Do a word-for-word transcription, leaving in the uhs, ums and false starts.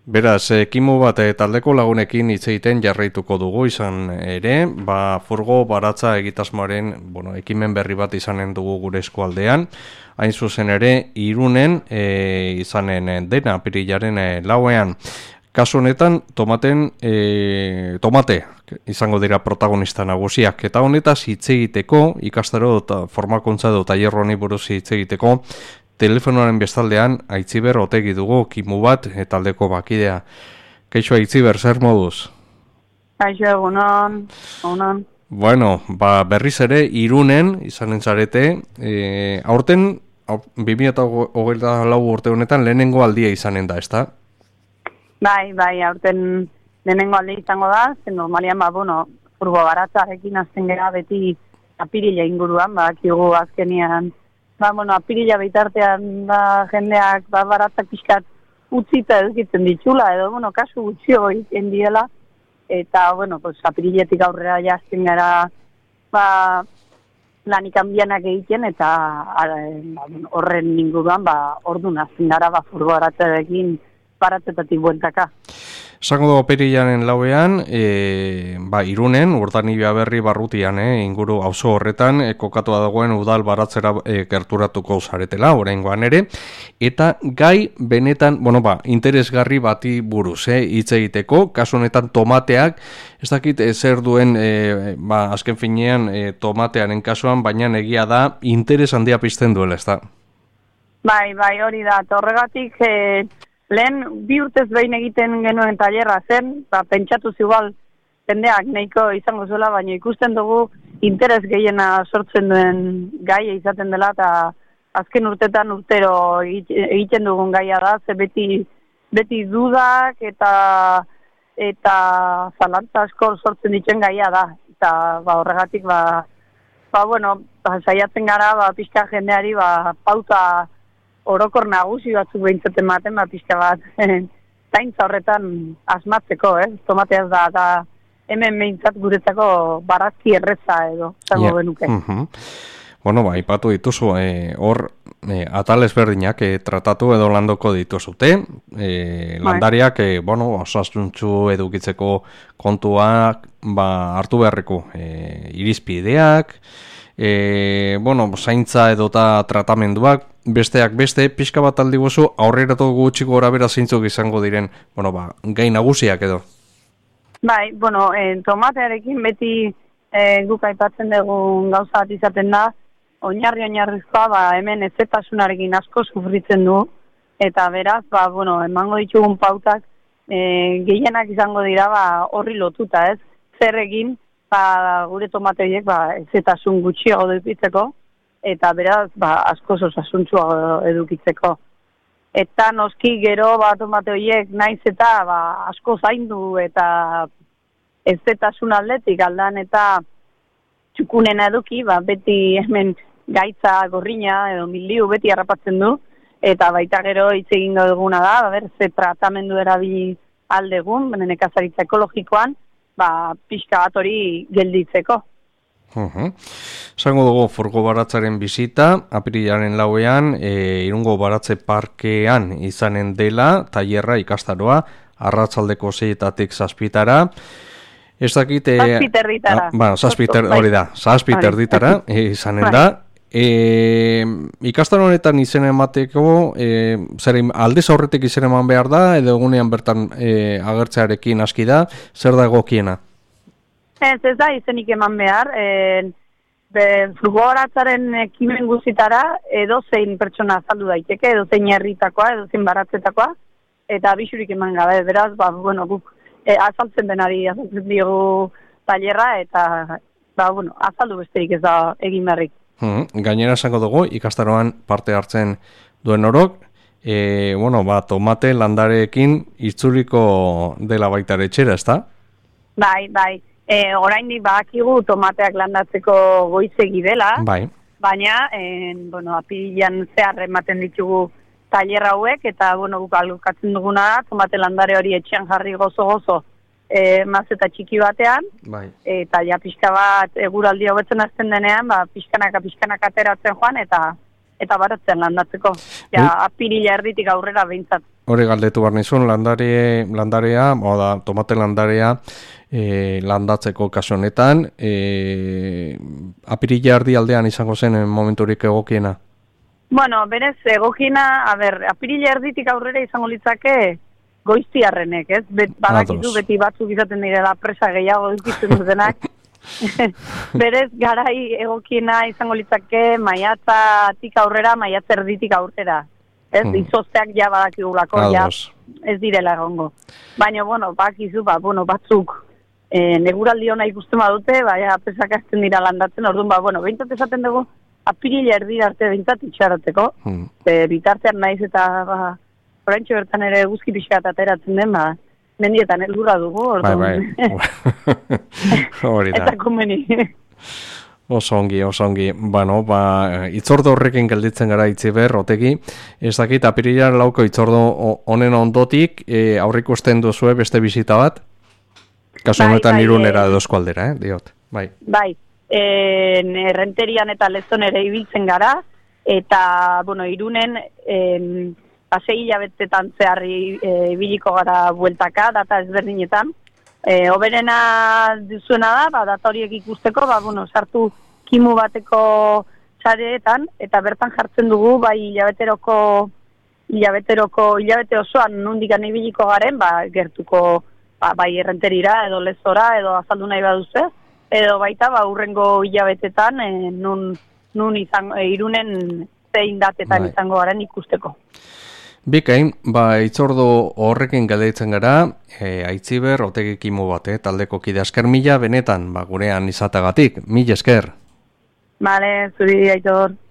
Beraz, ekimu bat e, taldeko lagunekin hitz egiten jarraituko dugu izan ere, ba, furgo baratza egitasmoaren bueno, ekimen berri bat izanen dugu gure eskualdean, hain zuzen ere, Irunen e, izanen dena apirilaren e, lauean. Kasu honetan, tomaten, e, tomate izango dira protagonista nagusiak, eta honetaz hitz egiteko, ikastaro eta formakuntza edo tailer honi buruz hitz egiteko, telefonoaren bestaldean Aitziber Otegi dugu kimu bat taldeko bakidea. Kaixo Aitziber, zer moduz? Kaixo, egunon, egunon. Bueno, ba, berriz ere Irunen izanen zarete, e, aurten bi mila hogeita lau urte honetan lehenengo aldia izanen da, ezta? Bai, bai, aurten lehenengo aldia izango da, zen normalian, ba, bueno, furgo baratzarekin azten gara beti apirila inguruan, ba, kigu azkenian, ba, bueno, apirila bitartean da jendeak ba, baratzak pixkat utzita edukitzen ditxula, edo, bueno, kasu gutxio egiten diela, eta, bueno, pues, apiriletik aurrera jazten gara, ba, lanik handianak egiten, eta ara, ba, horren inguruan, ba, orduan azten gara, ba, furgo baratzarekin baratzetatik bueltaka. Esango dugu apirilaren lauean, e, ba, Irunen, Urdanibia Berri barrutian, e, inguru auzo horretan, e, kokatua dagoen udal baratzera e, gerturatuko zaretela, oraingoan ere, eta gai benetan, bueno, ba, interesgarri bati buruz, e, hitz egiteko, kasu honetan tomateak, ez dakit e, zer duen, e, ba, azken finean, e, tomatearen kasuan, baina egia da, interes handia pizten duela, ez da? Bai, bai, hori da, horregatik, e, lehen bi urtez behin egiten genuen tailerra zen, ba, pentsatu igual jendeak nahiko izango zuela, baina ikusten dugu interes gehiena sortzen duen gaia izaten dela, eta azken urtetan urtero egiten dugun gaia da, ze beti, beti dudak eta eta zalantza asko sortzen dituen gaia da, eta ba, horregatik ba, ba, bueno, ba, saiatzen gara ba, pixka jendeari ba, pauta orokor nagusi batzuk behintzaten maten, bat pixka bat, zaintza horretan asmatzeko, eh? Tomateaz da, da hemen behintzat guretzako barazki erreza edo, zango yeah. Benuke. Uh-huh. Bueno, ba, ipatu dituzu, hor, eh, eh, atal ezberdinak eh, tratatu edo landoko dituzute, eh, landariak, eh, bueno, osasuntsu edukitzeko kontuak, ba, hartu beharreko eh, irizpideak, E, bueno, zaintza edota tratamenduak, besteak beste, pixka bat aldi gozu, aurreratu gutxiko gora bera zeintzuk izango diren, bueno, ba, gai nagusiak edo. Bai, bueno, eh, tomatearekin beti eh, guk aipatzen dugun gauza bat izaten da, oinarri-oinarrizkoa, ba, hemen ezetasunarekin asko sufritzen du, eta beraz, ba, bueno, emango ditugun pautak, eh, gehienak izango dira, ba, horri lotuta, ez? Zer egin, ba, gure tomate horiek ba, ezetasun gutxiago edukitzeko, eta beraz ba, asko osasuntsua edukitzeko. Eta noski gero ba, tomate horiek naiz eta ba, asko zaindu eta ezetasun aldetik aldan eta txukunena eduki, ba, beti hemen gaitza gorrina edo miliu beti harrapatzen du, eta baita gero hitz egingo duguna da, ber, ze tratamendu erabili aldegun, nekazaritza ekologikoan, ba, pixka bat hori gelditzeko. Uh-huh. Zango dugu furgo baratzaren bizita, apirilaren lauean, e, Irungo Baratze Parkean izanen dela, tailerra ikastaroa, arratsaldeko seietatik zazpitara. Ez dakit... E, zazpiterditara. Ah, bueno, zazpiter, hori da, zazpiterditara e, izanen da. E, ikastaro honetan izen emateko, e, zer aldez aurretik izen eman behar da, edo egunean bertan e, agertzearekin aski da, zer da egokiena? Ez, ez da izenik eman behar, e, furgo baratzaren ekimen guztitara edo zein pertsona azaldu daiteke, edo zein herritakoa, edo zein baratzetakoa, eta bisurik eman gabe, beraz, ba, bueno, guk e, azaltzen denari azaltzen diogu tailerra, eta, ba, bueno, azaldu besterik ez da egin berrik. Hmm, gainera esango dugu, ikastaroan parte hartzen duen orok, e, bueno, ba, tomate landareekin itzuliko dela baitare etxera, ezta? Bai, bai, e, oraindik badakigu tomateak landatzeko goizegi dela, bai. Baina, e, bueno, apirilan zehar ematen ditugu tailer hauek, eta, bueno, guk alukatzen duguna da, tomate landare hori etxean jarri gozo-gozo, E, mazeta txiki batean, bai. Eta ja pixka bat eguraldi hobetzen azten denean, ba, pixkanaka pixkanaka ateratzen joan, eta eta baratzen landatzeko. Ja, apirila erditik aurrera behintzat hori galdetu behar nizun, landare, landarea, oda, tomate landarea, e, landatzeko kasu honetan, e, apirila erdi aldean izango zen momenturik egokiena? Bueno, berez, egokiena, a ber, apirila erditik aurrera izango litzake goiztiarrenek, ez? Bet, badakizu beti batzuk izaten direla presa gehiago dukitzen dutenak. Berez, garai egokiena izango litzake maiatzatik aurrera, maiatza erditik aurrera. Ez, hmm. izozteak ja badakigulako, ja, ez direla egongo. Baina, bueno, bakizu, ba, bueno, batzuk e, neguraldi hona ikusten badute, baina pesak azten dira landatzen, orduan, ba, bueno, behintzat esaten dugu, apirila erdira arte behintzat itxarateko, hmm. e, bitartean naiz eta, ba, oraintxe bertan ere guzki pixkat ateratzen den, ba, mendietan helburra dugu, orduan. Bai, bai. Hori da. Eta komeni. Osongi, osongi. Bueno, ba, itzordo horrekin gelditzen gara Itziber, Otegi. Ez dakit, apirila lauko itzordo honen ondotik, e, aurrikusten duzue beste bizita bat? Kasu honetan bai, Irunera edo eskualdera, eh, diot. Bai. Bai, e, errenterian eta lezon ere ibiltzen gara, eta, bueno, Irunen, e, pasei hilabetetan zeharri ibiliko e, gara bueltaka, data ezberdinetan. E, oberena duzuena da, ba, data horiek ikusteko, ba, bueno, sartu kimu bateko sareetan, eta bertan jartzen dugu, bai, hilabeteroko, hilabeteroko, hilabete osoan nundikan ibiliko garen, ba, gertuko, ba, bai, errenterira, edo lezora, edo azaldu nahi baduze, edo baita, ba, urrengo hilabetetan, e, nun, nun izan, e, Irunen zein datetan bai. Izango garen ikusteko. Bikain, ba, itzordo horrekin galdetzen gara, e, Aitziber, Otegi kimu bat, eh, taldeko kide esker mila, benetan, ba, gurean izatagatik, mila esker. Bale, zuri, Aitor.